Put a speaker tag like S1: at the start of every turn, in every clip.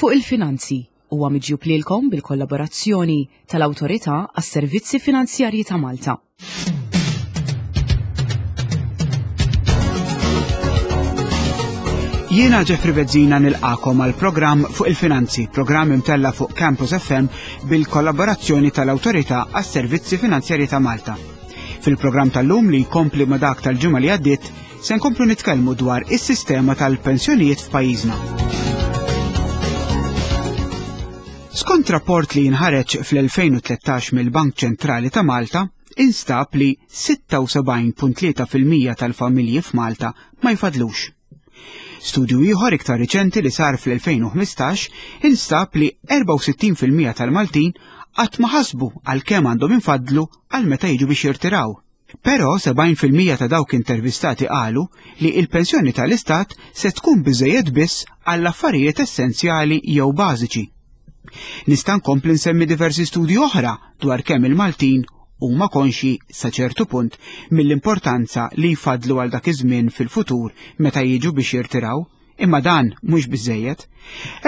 S1: Fuq il-Finanzi huwa miġjub lilkom bil-kollaborazzjoni tal-Awtorità għas-Servizzi Finanzjarji ta' Malta.
S2: Jiena Jeffrey Bezzina nilqakom għal programm fuq il-finanzi, programm imtella fuq Campus FM bil-kollaborazzjoni tal-Awtorità għas-Servizzi Finanzjarji ta' Malta. Fil-programm tal-lum li jkompli ma' dak tal-ġimgħa li għaddiet, Se nkomplu nitkellmu dwar is-sistema tal-pensjonijiet f'pajjiżna. Skont rapport li jinħareġ fl-2013 mill-Bank Ċentrali ta' Malta, instab li 76.3% tal-familji f'Malta ma jfadlux. Studju ieħor iktar riċenti li sar fl-2015 instab li 64% tal-Maltin qatt ma ħasbu għal kemm għandhom infadlu għal meta jiġu biex jirtiraw. Però 70% ta' dawk intervistati qalu li il-pensjoni tal-istat se tkun biżejjed biss għall affarijiet essenzjali jew bażiċi. Nista' nkompli nsemmi diversi studji oħra dwar kemm il-Maltin huma konxi sa ċertu punt mill-importanza li jfadlu għal dak iż-żmien fil-futur meta jiġu biex jirtiraw. Imma dan mhux biżejjed.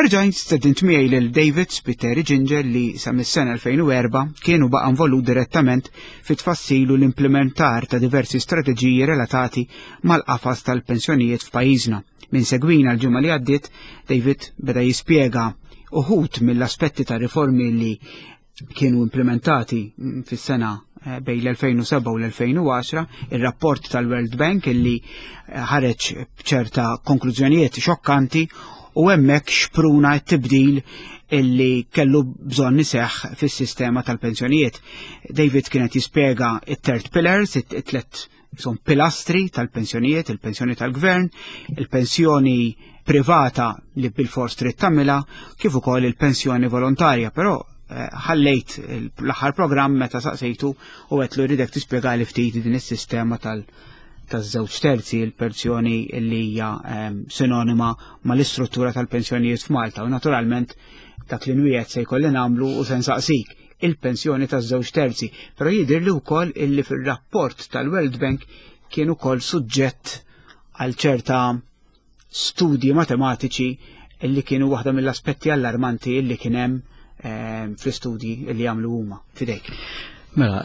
S2: Erġajt stedint miegħi lil David Spiteri Ginger li sa mis-sena 2004 kien u baqa' involut direttament fit-tfassil u l-implementar ta' diversi strateġiji relatati mal-qafas tal-pensjonijiet f'pajjiżna. Min segwina l-ġimgħa li għaddiet, David beda jispjega uħud mill-aspetti ta' riformi li kienu implementati fis-sena eh, bejn l-2007 u l-2010, ir-rapport tal-World Bank illi eh, ħareġ b'ċerta konklużjonijiet xokkanti u hemmhekk xpruna t-tibdil illi kellu bżonn iseħħ fis-sistema tal-pensjonijiet. David kienet jispjega it-third pillars, it-tlet son pilastri tal-pensjonijiet, il-pensjoni tal-gvern, il-pensjoni privata li bil-fors trid tagħmilha, kif ukoll il-pensjoni volontarja, però eh, ħallejt l-aħħar programm meta saqsejtu u għetlu rridek tispjegali ftit din is-sistema tal- taż-żewġ terzi il-pensjoni li hija ehm, sinonima mal-istruttura tal-pensjonijiet f'Malta u naturalment dak li nwiegħed se jkolli nagħmlu u se nsaqsik il-pensjoni taż-żewġ terzi, però jidher li wkoll illi fir-rapport tal-World Bank kien ukoll suġġett għal ċerta studji matematiċi illi kienu waħda mill-aspetti allarmanti illi kien hemm ehm, fl-istudji illi għamlu huma fidejk.
S3: Mela,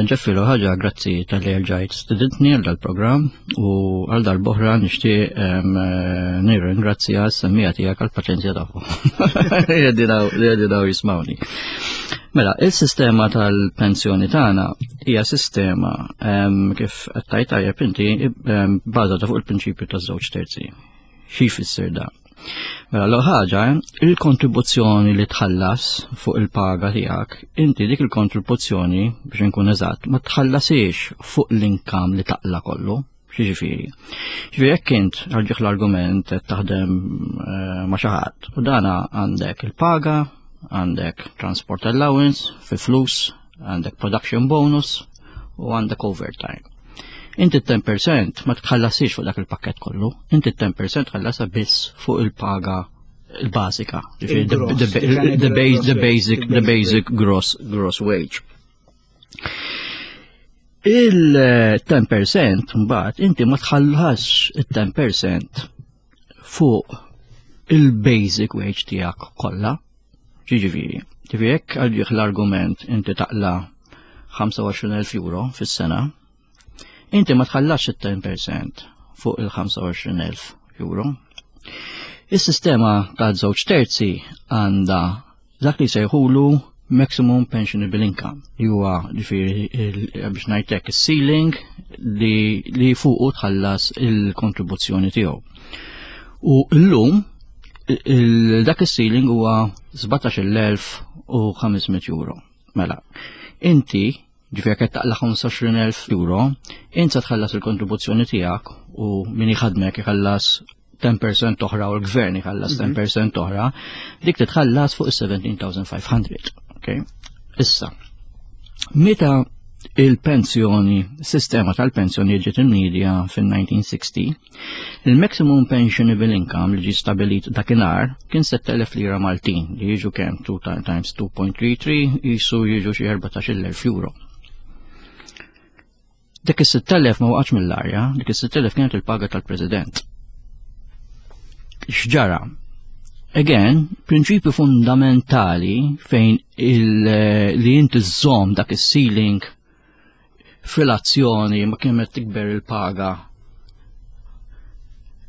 S3: Ġeffi ħaġa, grazzi tal-li rġajt stedintni għal dal-programm u għal dal-boħra nixtieq nirringrazzja s-semmija tiegħek għal paċenzja tagħhom. Li daw jismawni. Mela, il-sistema tal-pensjoni tagħna hija sistema kif qed tajt tajjeb inti bbażata fuq il-prinċipju taż-żewġ terzi. Xi jfisser dan? Mela l ħaġa, il-kontribuzzjoni li tħallas fuq il-paga tiegħek, inti dik il-kontribuzzjoni biex inkun eżatt, ma tħallasiex fuq l-inkam li taqla kollu. Xiġifieri. Ġifieri jekk int għalġieħ l-argument qed taħdem eh, ma' xi ħadd u dana għandek il-paga, għandek transport allowance fi flus, għandek production bonus u għandek overtime. Inti 10% ma tħallasix fuq dak il-pakket kollu, inti 10% tħallasa biss fuq il-paga il-basika, the basic, the basic gross, gross wage. Il-10% mbagħad inti ma tħallas il-10% fuq il-basic wage tiegħek kollha. Ġiġifieri, ġifieri jekk għal l-argument inti taqla 25,000 euro fis-sena, inti ma tħallasx it-10% fuq il-25,000 euro. Is-sistema ta' żewġ terzi għandha dak li sejħulu maximum pensionable income li huwa ġifieri biex ngħidlek is-ceiling li, li fuqu tħallas il-kontribuzzjoni tiegħu. U llum dak is-ceiling huwa 17,500 euro. Mela, inti Ġifieri qed taqla' 25,000 euro, int se tħallas il-kontribuzzjoni tiegħek u min iħadmek iħallas 10% oħra u l-gvern iħallas 10% mhm. oħra, dik titħallas fuq is-17,500. Okay? Issa, meta il-pensjoni, sistema tal-pensjoni ġiet imnidja fin-1960, Il-maximum pensionable income li ġie stabilit dakinhar kien 7,000 lira Maltin li jiġu kemm 2 times 2.33 jisu jiġu xi 14,000 euro. Dik is-6,000 ma waqgħatx mill-arja, dik is-6,000 kienet il-paga tal-President. X'ġara? Again, prinċipju fundamentali fejn li inti żżomm dak is-ceiling f'relazzjoni ma kemm qed tikber il-paga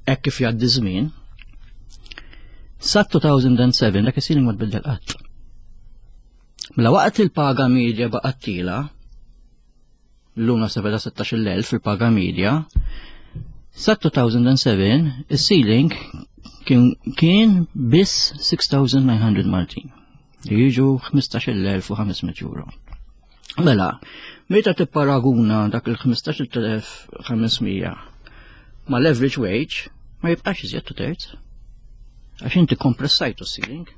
S3: hekk kif jgħaddi żmien, sa 2007 dak is-ceiling ma tbiddel qatt. Mela waqt il-paga medja baqgħet tila, l-lum naħseb ta' 16,000 fil-paga medja, sa 2007 is-ceiling kien, kien biss 6,900 Maltin li jiġu 15,500 euro. Mela, meta tipparaguna dak il-15,500 ma l-average wage, ma jibqax iżjed two terz. Għax inti kompressajtu ceiling,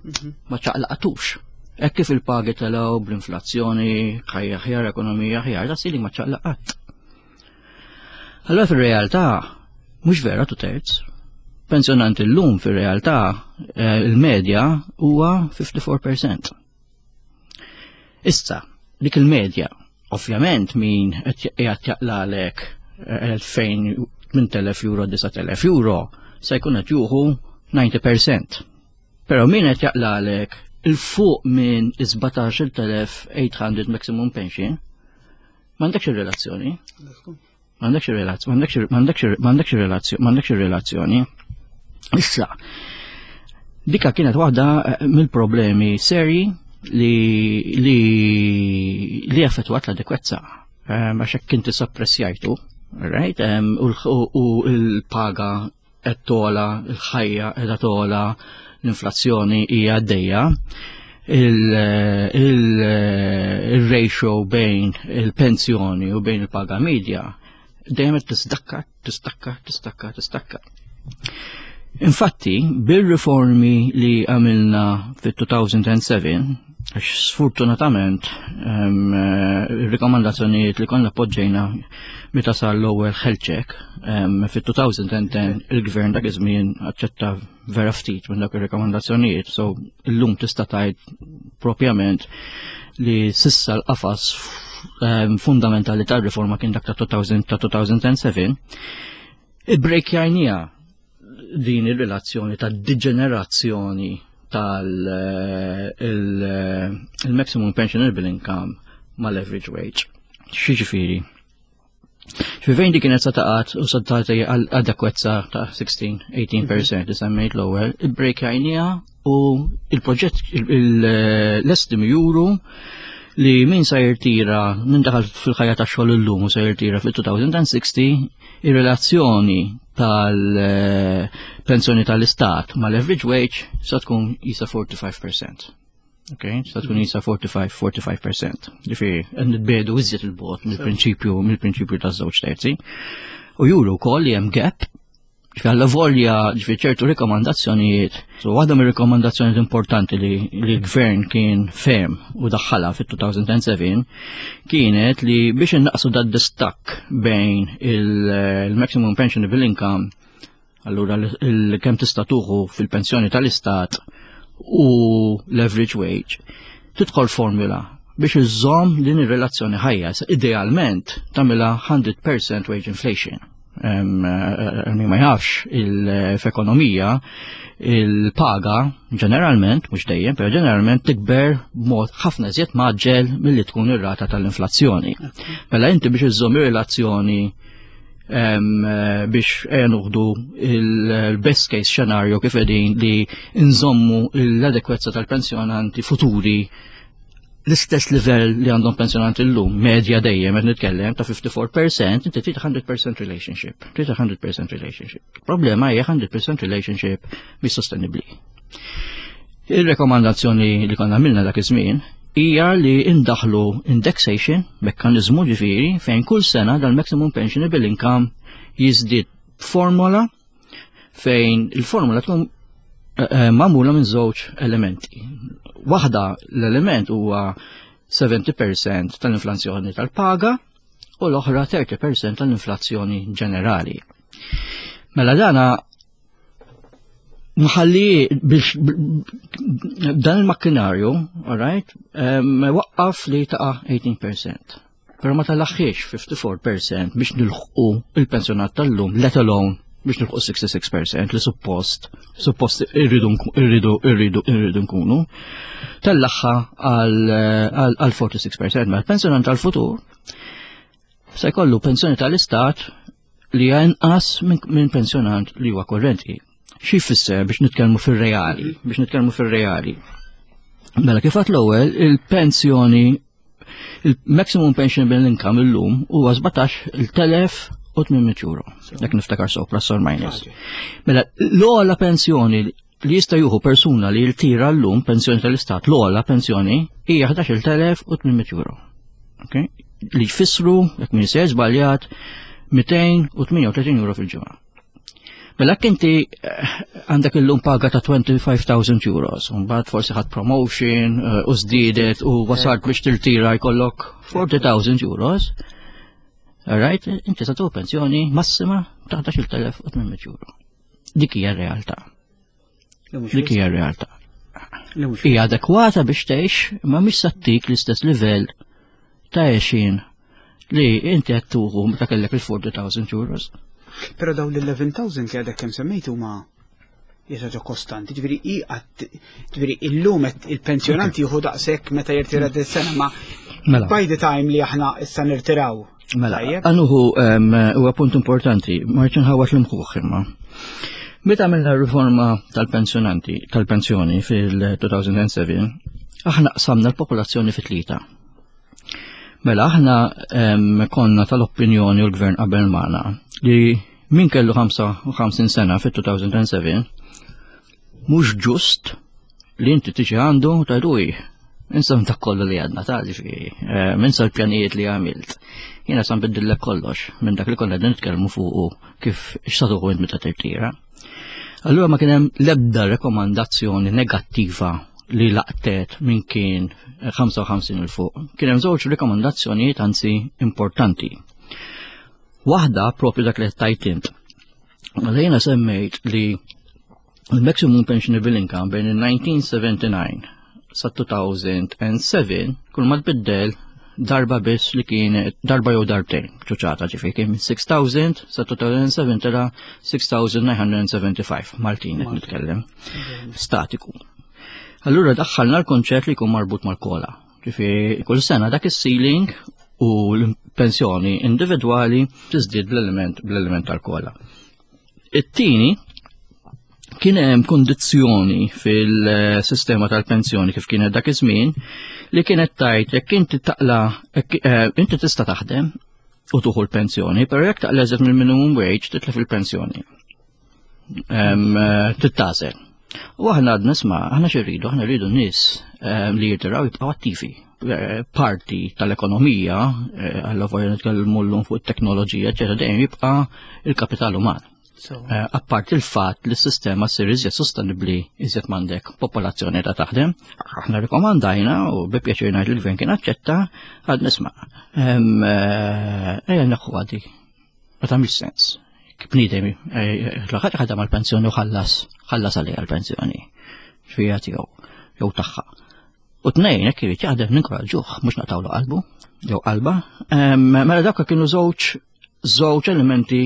S3: ma ċaqlaqtux. Hekk kif il-pagi telgħu bl-inflazzjoni, ħajja aħjar, ekonomija aħjar, da ceiling ma ċaqlaq qatt. Allora fir-realtà mhux vera two terz. Pensjonanti llum fir-realtà eh, il-medja huwa 54%. Issa, dik il-medja, ovvjament min qed qiegħed jaqlalek 2000 8000 euro, 9000 euro, se jkun qed juħu 90%. Però min qed jaqlalek il-fuq minn 17,800 maximum pension, m'għandekx ir-relazzjoni. M'għandekx ir-relazzjoni, m'għandekx ir-relazzjoni, m'għandekx ir-relazzjoni. Issa, dika kienet waħda eh, mill-problemi seri li li li affettwat l-adekwezza. Eh, għax hekk inti suppressjajtu, right? U l-paga qed tola, il-ħajja qiegħda tola, l-inflazzjoni hija għaddejja, il-ratio bejn il-pensjoni u bejn il-paga medja dejjem qed tisdakka, tistakka, tistakka, tistakka. Infatti, bil-riformi li għamilna fit-2007, għax sfortunatament ir-rikomandazzjonijiet li konna poġġejna meta sar l-ewwel health check fit-2010 il-gvern dak iż-żmien aċċetta vera ftit minn dak ir-rikomandazzjonijiet, so illum tista' tgħid propjament li sissa l-qafas fundamentali tar-riforma kien dak ta' 2007, ibbrejkjajniha din ir-relazzjoni ta' deġenerazzjoni tal-maximum pensionable income mal-average wage. X'jiġifieri? X'fejn dik kienet sa taqgħat u sa tagħti adekwezza ta' 16-18% li semmejt l-ewwel, ibbrejkjajniha u il-proġett l-estimi juru li min sa jirtira, min daħal fil-ħajja ta' xogħol illum u sa jirtira fil-2060, ir-relazzjoni tal-pensjoni tal-istat mal-average wage sa tkun jisa 45%. Ok, sa tkun jisa 45-45%. Ġifieri, nitbedu iżjed il-bot mill-prinċipju mill-prinċipju taż-żewġ terzi. U juru wkoll li hemm gap Ġifieri alla volja ġifieri ċertu rikomandazzjonijiet. So waħda mir-rikomandazzjonijiet importanti li l-gvern kien ferm u daħħalha fit-2007 kienet li biex innaqsu dad distakk bejn il-maximum pensionable income allura kemm tista' tuħu fil-pensjoni tal-istat u l-average wage tidħol formula biex iżżomm din ir-relazzjoni ħajja. Idealment tagħmilha 100% wage inflation. Eh, min ma jafx f'ekonomija il-paga ġeneralment, mhux dejjem, però ġeneralment tikber b'mod ħafna iżjed maġġel milli tkun ir-rata tal-inflazzjoni. Mela inti biex iżżomm ir-relazzjoni eh, biex ejja nuħdu il-best case scenario kif qegħdin li nżommu l-adekwezza tal-pensjonanti futuri l-istess livell li għandhom pensjonanti llum, medja dejjem qed nitkellem ta' 54%, inti trid 100% relationship. Trid 100% relationship. Problema hija 100% relationship mhix sostenibbli. Il-rekomandazzjoni li konna għamilna dak iż-żmien hija li indaħlu indexation, mekkaniżmu ġifieri fejn kull sena dal-maximum pensionable income jiżdied formola fejn il-formula tkun eh, eh, magħmula minn żewġ elementi. Waħda l-element huwa 70% tal-inflazzjoni tal-paga u l-oħra 30% tal-inflazzjoni ġenerali. Mela dana mħalli biex dan il-makkinarju, all right, waqqaf li taqa' 18%. Pero ma talaħħiex 54% biex nilħqu il-pensjonat tal-lum, let alone biex nilħu 66% li suppost suppost irridu irridu irridu irridu nkunu. Tellaħħa għal 46% mela pensjonant tal-futur se jkollu pensjoni tal-istat li hija inqas minn pensjonant li huwa korrenti. Xi jfisser biex nitkellmu fir-reali, biex nitkellmu fir-reali. Mela kif għat l-ewwel il-pensjoni il-maximum pensionable income illum huwa 17,800 euro. Jekk niftakar so plus or minus. Mela l-ogħla pensjoni li jista' juhu persuna li jirtira llum pensjoni tal-istat l-ogħla pensjoni hija 11,800 euro. Okay? Li jfissru, jekk min se żbaljat, 238 euro fil-ġimgħa. Mela jekk inti eh, għandek illum paga ta' 25,000 euros, mbagħad forsi ħadd promotion eh, u żdiedet u wasalt biex tirtira jkollok 40,000 euros. Right, inti sa pensjoni massima ta' 11,800 euro. Dik hija r-realtà. Dik hija r-realtà. Hija adekwata biex tgħix, imma mhix sattik l-istess livell ta' għexin li inti qed tuħu meta kellek il-40,000 euros.
S2: Però dawn l-11,000 li għadek kemm semmejt huma hija kostanti, ġifieri hi ġifieri illum il-pensjonanti jieħu daqshekk meta jirtira dis-sena ma mela. by the time li aħna issa nirtiraw.
S3: Mela, għanuhu huwa punt importanti, ma rridx nħawat l-imħuħ imma. Meta għamilna riforma tal-pensjonanti, tal-pensjoni fil-2007, aħna qsamna l-popolazzjoni fit tlieta. Mela aħna konna tal-opinjoni u l-gvern qabel magħna li min kellu 55 sena fit-2007 mhux ġust li inti tiġi għandu tajdu Insa dak kollu li għadna ta' ġifieri, eh, insa l-pjanijiet li għamilt. Jiena sa nbiddillek kollox minn dak li konna qegħdin nitkellmu fuqu kif x'satuħu int meta tirtira. Allura ma kien hemm l-ebda rekomandazzjoni negattiva li laqtet minn kien 55 il fuq. Kien hemm żewġ rekomandazzjonijiet anzi importanti. Waħda propju dak li tajt int. Mela jiena semmejt li il-maximum pensionable income bejn il-1979 sa 2007 kull ma tbiddel darba biss li kien darba jew darbtejn ċuċata ġifi kien minn 6000 sa 2007 tela 6975 Maltin qed nitkellem statiku. Allura daħħalna l-konċett li jkun marbut mal-kola. Ġifi kull sena dak is-ceiling u l-pensjoni individwali tiżdied bl-element bl-element tal-kola. It-tieni kien hemm kundizzjoni fil-sistema tal-pensjoni kif kienet dak iż-żmien li kienet tajt jekk inti taqla eh, inti tista' taħdem u tuħu l-pensjoni, però jekk taqla eżed mill-minimum wage titlef il-pensjoni. Eh, tittażel. U aħna għadna isma' aħna xi rridu, aħna rridu nies li jirtiraw jibqgħu attivi. Eh, parti tal-ekonomija, eh, għalla voja nitkellmu llum fuq it-teknoloġija, eċetera, dejjem jibqa' il-kapital uman. Eh, apart il-fatt li s-sistema ssir iżjed sostenibbli iżjed m'għandek popolazzjoni ta' taħdem, aħna rikommandajna u bi pjaċir ngħid il-gvern kien aċċetta għad nisma' ejja neħu għadi. Ma tagħmilx sens. Bniedem l-ħadd ħadem għall-pensjoni u ħallas ħallas għalija l-pensjoni. Xfija tiegħu jew tagħha. U tnejn, jekk irid jaħdem ninkoraġġuh, mhux naqtawlu qalbu, jew qalba. Mela dawk kienu żewġ żewġ elementi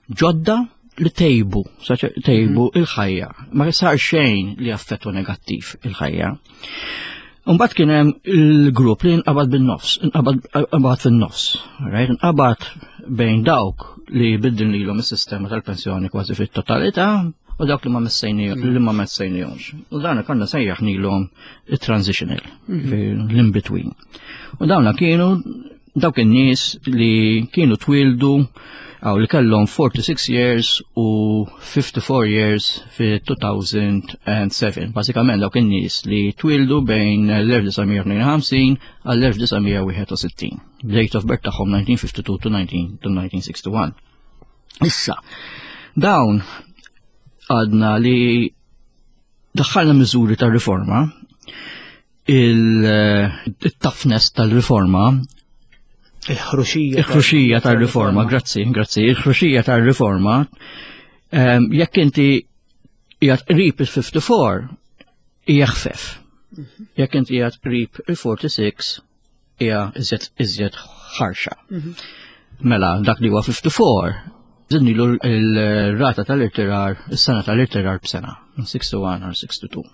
S3: ġodda li tejbu, tejbu mhm. il-ħajja. Ma sar xejn li affettwa negattiv il-ħajja. Mbagħad kien hemm il-grupp li nqabad bin-nofs, nqabad fin-nofs, right? Nqabad bejn dawk li biddil lilhom is-sistema tal-pensjoni kważi fit-totalità u dawk li ma messejni li ma messejnihomx. U dan konna sejjaħnilhom il-transitional, mhm. l-in-between. U dawna kienu dawk in-nies li kienu twildu għaw li kellhom 46 years u 54 years fi 2007. Basikament dawk in-nies li twildu bejn l-1952 għall-1961. Date of birth tagħhom 1952 to 1961. Issa, dawn għadna li daħħalna miżuri ta' riforma, il-toughness tal-riforma,
S2: il-ħruxija.
S3: Il-ħruxija tal-riforma, grazzi, grazzi, il-ħruxija tal-riforma, ehm, jekk inti jgħat qrib il-54, hija ħfef. Mhm. Jekk inti jgħat qrib il-46, hija iżjed iżjed ħarxa. Mhm. Mela, dak li huwa 54, Żidnilu l-rata tal-irtirar, is-sena tal-irtirar b'sena, minn 61 għal 62.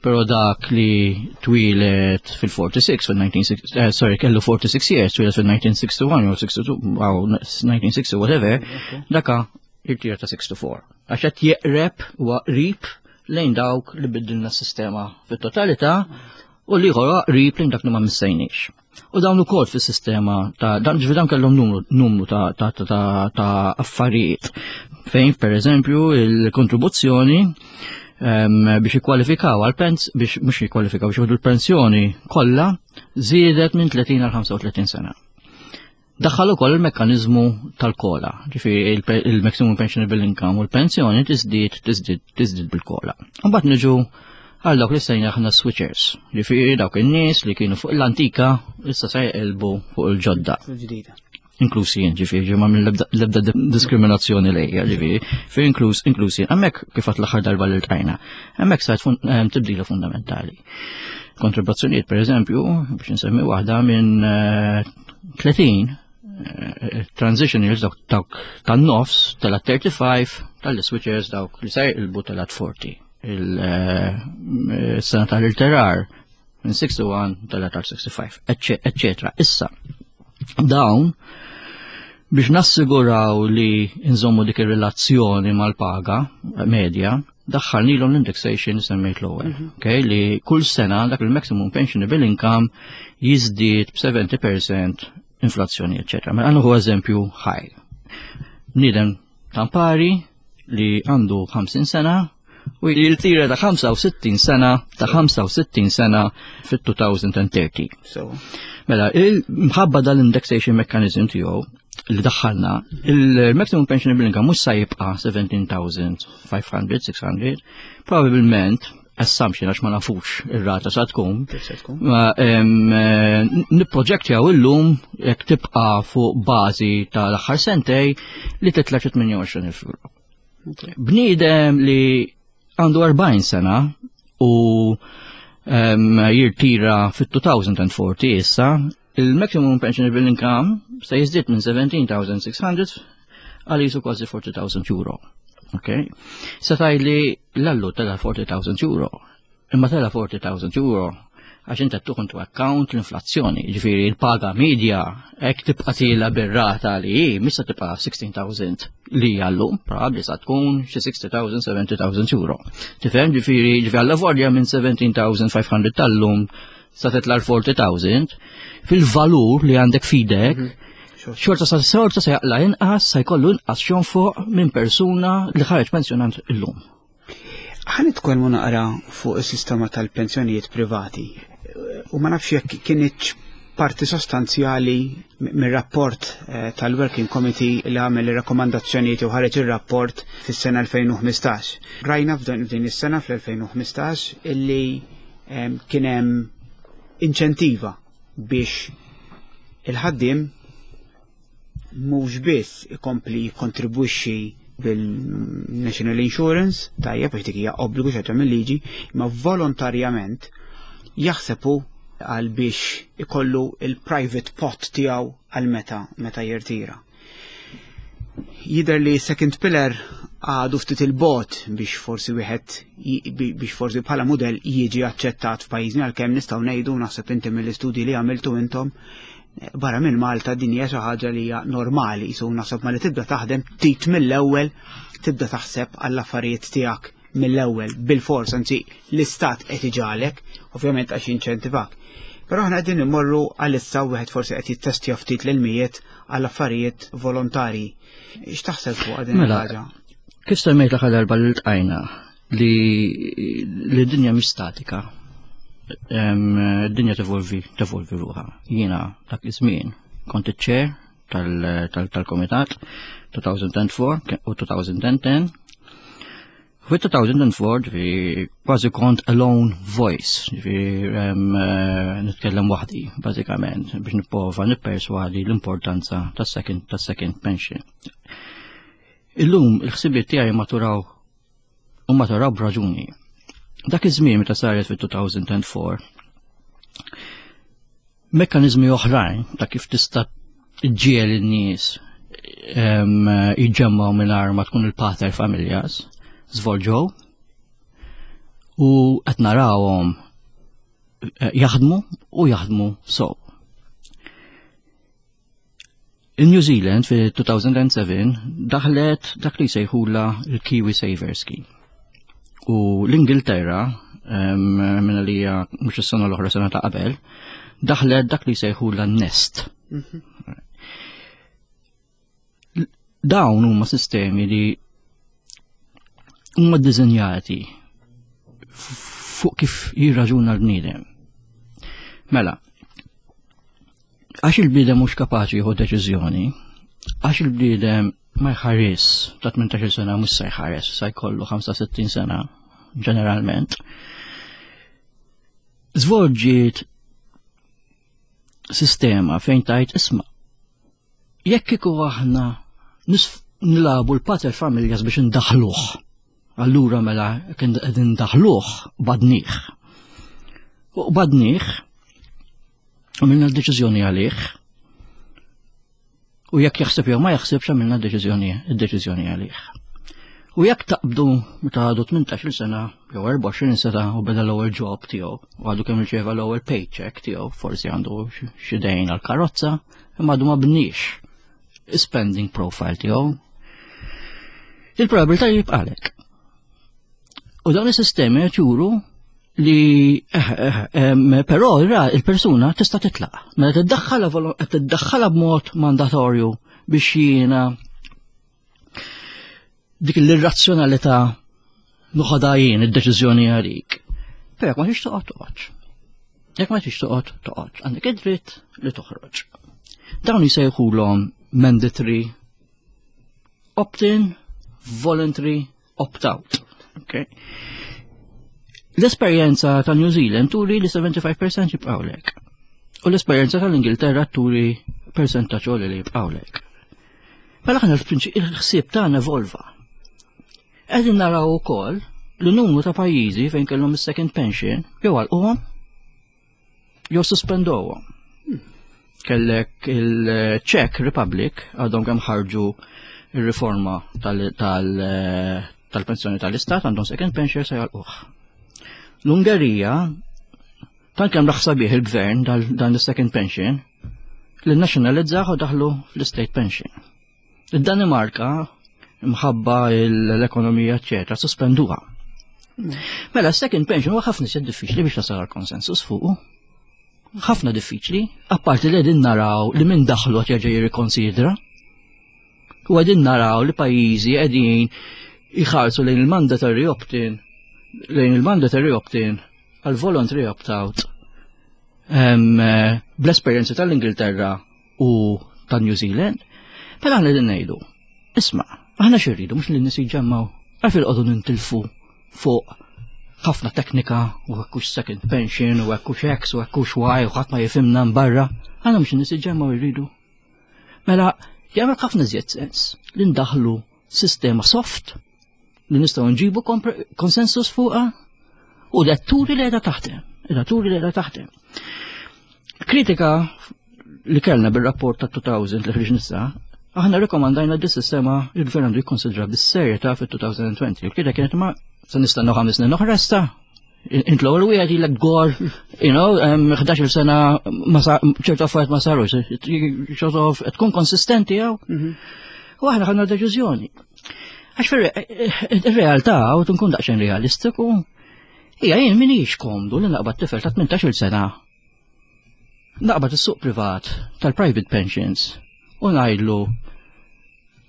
S3: Pero dak li twilet fil-46, fil-1960, eh, sorry, kellu 46 years, twilet fil-1961 jew 62, 1960, whatever, daka irtira ta' 64. Għax qed jeqreb u qrib lejn dawk li biddilna s-sistema fit-totalità u li ieħor qrib lejn dak li ma missejniex. U dawn ukoll fis-sistema ta' dan ġifi dawn kellhom numru, numru ta', ta, ta, ta, ta affarijiet fejn pereżempju il-kontribuzzjoni biex jikkwalifikaw għal pens biex mhux jikkwalifikaw biex jieħdu l-pensjoni kollha żiedet minn 30 għal 35 sena. Daħħal ukoll il-mekkaniżmu tal-kola, ġifieri il-maximum pensionable income u l-pensjoni tiżdied tiżdied tiżdied bil-kola. Mbagħad niġu għal dawk li sejna aħna switchers, ġifieri dawk in-nies li kienu fuq l-antika issa se jqilbu fuq il-ġodda. Inklusi jien, ġifieri ma minn l-ebda diskriminazzjoni lejja, ġifieri, fi inkluż inklusi hemmhekk kif għat l-aħħar darba li ltqajna, hemmhekk sajt eh, tibdila fundamentali. Kontribuzzjonijiet per eżempju, biex nsemmi waħda minn 30 eh, eh, transition years dawk dawk tan-nofs tela 35 tal-switchers dawk li se jqilbu tela 40. Il-sena eh, tal-irterar minn 61 tela tal-65, eccetera. Issa, dawn biex nassiguraw li nżommu dik ir-relazzjoni mal-paga medja, daħħalnilhom l-indexation semmejt l-ewwel. Mhm. Okay, li kull sena dak il-maximum pensionable income jiżdied b'70% inflazzjoni, eċetera. Mela għandu eżempju ħaj. Bniedem tampari li għandu 50 sena u jirtira ta' 65 sena ta' 65 sena fit-2030. Mela, il-mħabba dal-indexation mechanism tiegħu li daħħalna, il-maximum pensionable income mhux sa jibqa' 17,500, 600, probabbilment assumption għax ma nafux ir-rata sa tkun. Eh, nipproġektjaw illum jekk tibqa' fuq bażi tal-aħħar sentej li titla' 28,000 euro. Bniedem li għandu 40 sena u jirtira fit-2040 issa, il-maximum pensionable income se jiżdied minn 17,600 għal jisu kważi 40,000 euro. Ok? Se tajli l-allu tela 40,000 euro. Imma tela 40,000 euro għax inti tuħu into account l-inflazzjoni, ġifieri l-paga medja hekk tibqa' tila bir-rata li hi, mhix se tibqa' 16,000 li għallu, probabbli sa tkun xi 60,000, 70,000 euro. Tifhem ġifieri ġifieri għalla volja minn 17,500 tal-lum sa titla' 40,000 fil-valur li għandek fidek, mhm. xorta sa xorta se jaqla inqas, sa jkollu inqas xonfoq minn persuna li ħareġ pensjonant illum.
S2: Ħa nitkellmu naqra fuq is-sistema tal-pensjonijiet privati. U ma nafx jekk kinitx parti sostanzjali mir-rapport eh, tal-Working Committee li għamel ir-rakkomandazzjonijiet u ħareġ ir-rapport fis-sena 2015. Rajna f'din is-sena fl-2015 illi ehm, kien hemm inċentiva biex il-ħaddiem mhux biss ikompli jikkontribwixxi bil-National Insurance, tajjeb għax dik hija obbligu xi mill-liġi, imma volontarjament jaħseb hu għal biex ikollu il-private pot tiegħu għal meta meta jirtira. Jidher li second pillar għadu ftit il-bot biex forsi wieħed biex forsi bħala mudell jiġi aċċettat f'pajjiżna għalkemm nistgħu ngħidu naħseb inti mill-istudji li għamiltu intom barra minn Malta din hija xi ħaġa li hija normali, jisu naħseb ma li tibda taħdem tit mill-ewwel tibda taħseb għall-affarijiet tiegħek mill-ewwel bil-fors, anzi l-istat qed iġalek, ovvjament għax jinċentivak. Però aħna qegħdin immorru għalissa wieħed forsi qed jittestja ftit l-mijiet għall affarijiet volontarji. X'taħseb fuq din mela, il-ħaġa?
S3: Kif semmejt l-aħħar darba li ltqajna li li d-dinja mhix statika. Id-dinja tevolvi tevolvi ruħha. Jiena dak iż-żmien kont iċ-chair tal-komitat 2004 u 2010. Fi 2004 ġifieri kważi kont alone voice, ġifieri eh, nitkellem waħdi bażikament biex nipprova nipperswadi l-importanza tas-second tas-second pension. Illum il-ħsibiet tiegħi maturaw u maturaw b'raġuni. Dak iż-żmien meta saret fit-2004 mekkaniżmi oħrajn ta' kif tista' ġiel in-nies jiġġemmaw mingħajr ma tkun il-pater familjas, żvolġew u qed narawhom eh, jaħdmu u jaħdmu sow. In-New Zealand fi 2007 daħlet dak li jsejħula l-Kiwi Saver Scheme. U l-Ingilterra, minna li hija mhux is-sena l-oħra sena ta' qabel, daħlet dak li jsejħula Nest. Mhm. Dawn huma sistemi li huma ddisinjati fuq kif jirraġuna l-bniedem. Mela, għax il-bniedem mhux kapaċi jieħu deċiżjoni, għax il-bniedem ma jħares ta' 18 sena mhux se jħares, sa jkollu 65 sena ġeneralment. Zvolġiet sistema fejn tajt isma' Jekk kieku aħna nilabu l-pater familjas biex indaħluh, allura mela kien qegħdin ndaħluh badnih. U badnih, għamilna d-deċiżjoni għalih, u jekk jaħseb jew ma jaħsibx għamilna d-deċiżjoni d-deċiżjoni għalih. U jekk taqbdu meta għadu 18 sena jew 24 sena u beda l-ewwel job tiegħu u għadu kemm irċeva l-ewwel paycheck tiegħu, forsi għandu xi dejn għall-karozza, imma għadu ma bniex spending profile tiegħu. Il-probabilità jibqalek. U dawn is-sistemi qed juru li eh, eh, però il-persuna tista' titlaq. Mela tiddaħħalha tiddaħħalha b'mod mandatorju biex jiena dik l-irrazzjonalità noħodha jien id-deċiżjoni għalik. Però jekk ma tix toqgħod toqgħodx. Jekk ma tix toqgħod toqgħodx. Għandek id-dritt li toħroġ. Dawn jisejħulhom mandatory opt-in, voluntary opt-out. Okay. L-esperjenza ta' New Zealand turi li 75% jibqgħulek. U l-esperjenza tal-Ingilterra turi percentaġġ li jibqgħulek. Mela aħna il-ħsieb tagħna evolva. Qegħdin naraw ukoll li numru ta' pajjiżi fejn kellhom is-second pension jew għalquhom jew suspendowhom. Kellek il-Czech Republic għadhom kemm ħarġu ir-riforma tal-pensjoni tal-istat għandhom second pension se jgħalquh. L-Ungerija Tant kemm raħ sabiħ il-gvern dan l-second pension li nazzjonalizzah u daħlu fl-state pension. Id-Danimarka mħabba l-ekonomija eċetera sospenduha. Mela second pension huwa ħafna iżjed diffiċli biex tasal għal konsensus fuqu. Ħafna diffiċli, apparti li qegħdin naraw li minn daħlu qed jerġa' jirrikonsidra. U qegħdin naraw li pajjiżi qegħdin jħarsu lejn il-mandatory opt-in lejn il-mandatory opt-in għal voluntary opt-out eh, bl-esperjenza tal-Ingilterra u tal-New Zealand, mela aħna din ngħidu, isma' aħna xi rridu mhux li nies jiġġemmaw għalfejn qogħdu nintilfu fuq ħafna teknika u hekkux second pension u hekkux X u hekkux Y u ħadd ma jifhimna barra, aħna mhux nies jiġġemmaw irridu. Mela, jagħmel ħafna iżjed sens li ndaħlu sistema soft li nistgħu nġibu konsensus fuqha u li turi li qiegħda taħdem, qiegħda turi li qiegħda taħdem. Kritika li kellna bir-rapport ta' 2000 li ħriġ nissa, aħna rekomandajna di sistema il-gvern għandu jikkonsidra bis-serjetà fit-2020. Il-kritika kienet ma se nistennew ħames snin oħra issa, int l-ewwel wieħed ilek gor, you know, 11 sena ċertu affarijiet ma sarux, sort of tkun konsistenti jew. Mhm. U aħna ħadna deċiżjoni. Għax fir-realtà u tkun daqsxejn realistiku, hija jien minix komdu li naqbad tifel ta' 18-il sena naqbad is-suq privat tal-private pensions u ngħidlu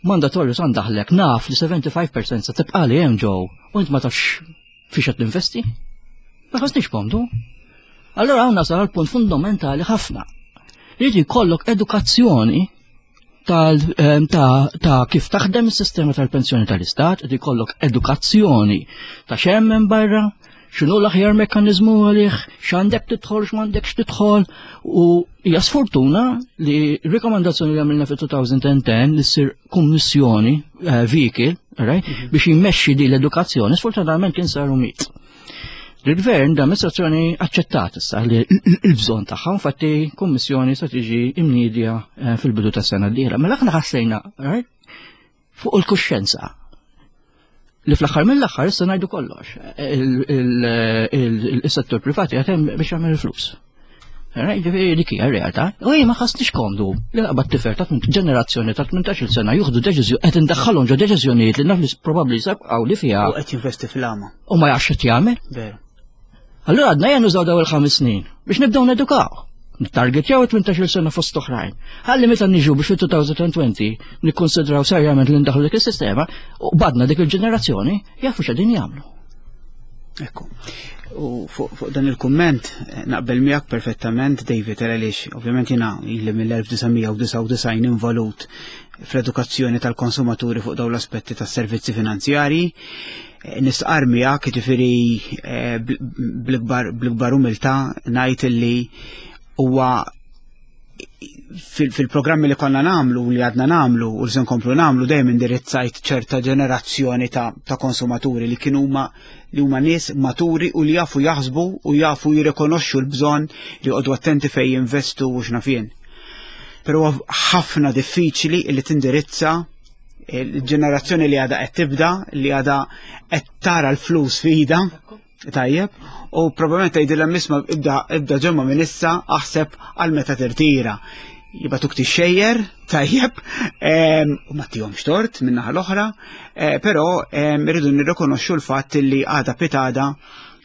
S3: mandatorju san daħlek naf li 75% se tibqa' li hemm ġew u int ma tafx fiex qed tinvesti. Ma ħassniex komdu. Allora hawn nasal għal punt fundamentali ħafna. Li jkollok edukazzjoni ehm, ta' kif taħdem is-sistema tal-pensjoni tal-istat, li jkollok edukazzjoni ta' xemm minn barra, x'inhu l-aħjar mekkaniżmu għalih, x'għandek tidħol, x'm'għandekx tidħol, u hija sfortuna li rikomandazzjoni li għamilna fit-2010 li ssir kummissjoni eh, vehicle, right, mhm. biex jimmexxi di l-edukazzjoni, sfortunatament kien saru mit. Il-gvern da amministrazzjoni aċċettat issa li l-bżonn tagħha, infatti kummissjoni se tiġi imnidja eh, fil-bidu tas-sena d-dieħla. Mela aħna ħassejna fuq il-kuxjenza li fl-aħħar mill-aħħar issa ngħidu kollox. Il-settur privati qed hemm biex jagħmel il-flus. Ġifieri dik hija r-realtà. U ma ħassniex komdu li naqbad tifel ta' ġenerazzjoni ta' 18-il sena juħdu deċiżjoni qed indaħħalhom ġo deċiżjonijiet li naf li probabbli sebqgħu li fiha.
S2: U qed jinvesti fil-għama.
S3: U ma jafx qed jagħmel.
S2: Veru.
S3: Allura għadna ejja nużaw daw il-ħames snin biex nibdew nedukaw. Nittargetjaw 18 sena fost oħrajn. Ħalli meta niġu biex fil-2020 nikkonsidraw serjament li ndaħlu dik is-sistema u badna dik il-ġenerazzjoni jafu x'qegħdin jagħmlu.
S2: Ekku. U fuq dan il-kumment eh, naqbel miegħek perfettament David għaliex ovvjament jiena ili mill-1999 involut fl-edukazzjoni tal-konsumaturi fuq dawn l-aspetti tas-servizzi finanzjarji. Eh, nistqar miegħek jiġifieri eh, bl-ikbar umiltà ngħid illi huwa fil-programmi li konna namlu li għadna namlu u li se nkomplu namlu dejjem indirizzajt ċerta ġenerazzjoni ta', ta konsumaturi li kienu huma li huma nies maturi u li jafu jaħsbu u jafu jirrikonoxxu l-bżonn li joqogħdu attenti fejn jinvestu u x'nafien. Però ħafna diffiċli li tindirizza il-ġenerazzjoni li għadha qed tibda, li għadha qed tara l-flus f'ida, tajjeb, u probabbilment tgħidilha isma' ibda ibda ġemma minn issa aħseb għal meta tirtira. Jibatuk tixxejjer, tajjeb, u ma tihomx tort minn naħa l-oħra, eh, però irridu nirrikonoxxu l-fatt li għada pitada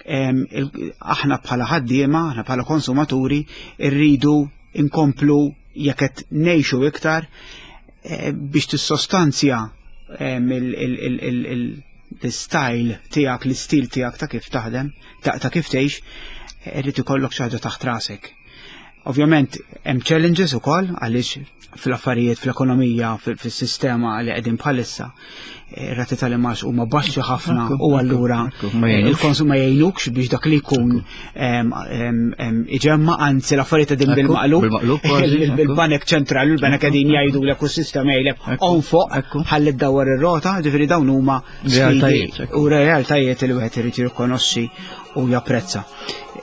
S2: aħna bħala ħaddiema, aħna bħala konsumaturi, irridu inkomplu jekk qed ngħixu iktar eh, biex tissostanzja l-style tiegħek, l-istil tiegħek ta' kif taħdem, ta' kif tgħix, eh, irrid ikollok xi ħaġa taħt rasek. Ovvjament hemm challenges ukoll għaliex fl-affarijiet, fl-ekonomija, fis-sistema li qegħdin bħalissa, ir-rati tal-imax huma baxxi ħafna u allura il-konsum ma jgħinukx biex dak li jkun iġemma anzi l-affarijiet qegħdin bil-maqlub. Il-banek ċentrali, il-banek qegħdin jgħidu l ekosistema jgħidlek on fuq ħalli ddawwar ir-rota, ġifieri dawn huma u realtajiet li wieħed irid jirrikonoxxi u japprezza.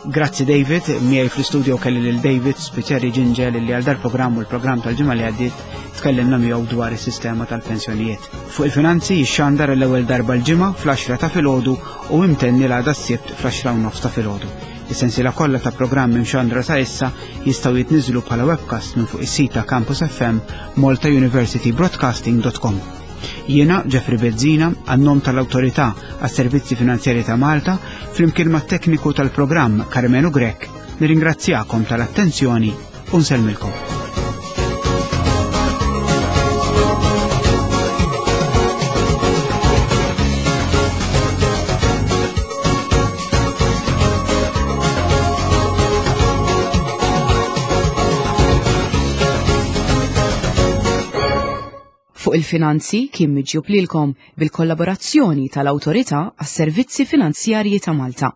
S2: Grazzi David, miegħi fl-istudio kelli lil David Spiteri Ġinġel li għal dal-programm u l-programm tal-ġimgħa li għaddiet tkellimna miegħu dwar is-sistema tal-pensjonijiet. Fuq il-finanzi jixxandar l-ewwel darba l-ġimgħa fl-10 ta' filgħodu u imtenni l-għada s-sibt fl-10 u nofs ta' filgħodu. Is-sensiela kollha ta' programmi mxandra sa issa jistgħu jitniżlu bħala webcast minn fuq is-sit ta' Campus FM maltauniversitybroadcasting.com. Jiena Jeffrey Bezzina, għan-nom tal-Awtorità għas-Servizzi Finanzjari ta' Malta, flimkien mat-tekniku tal-programm Karmenu Grech, nirringrazzjakom tal-attenzjoni u nsellmilkom.
S1: Fuq il-Finanzi kien miġjub lilkom bil-kollaborazzjoni tal-Awtorità għas-Servizzi Finanzjarji ta' Malta.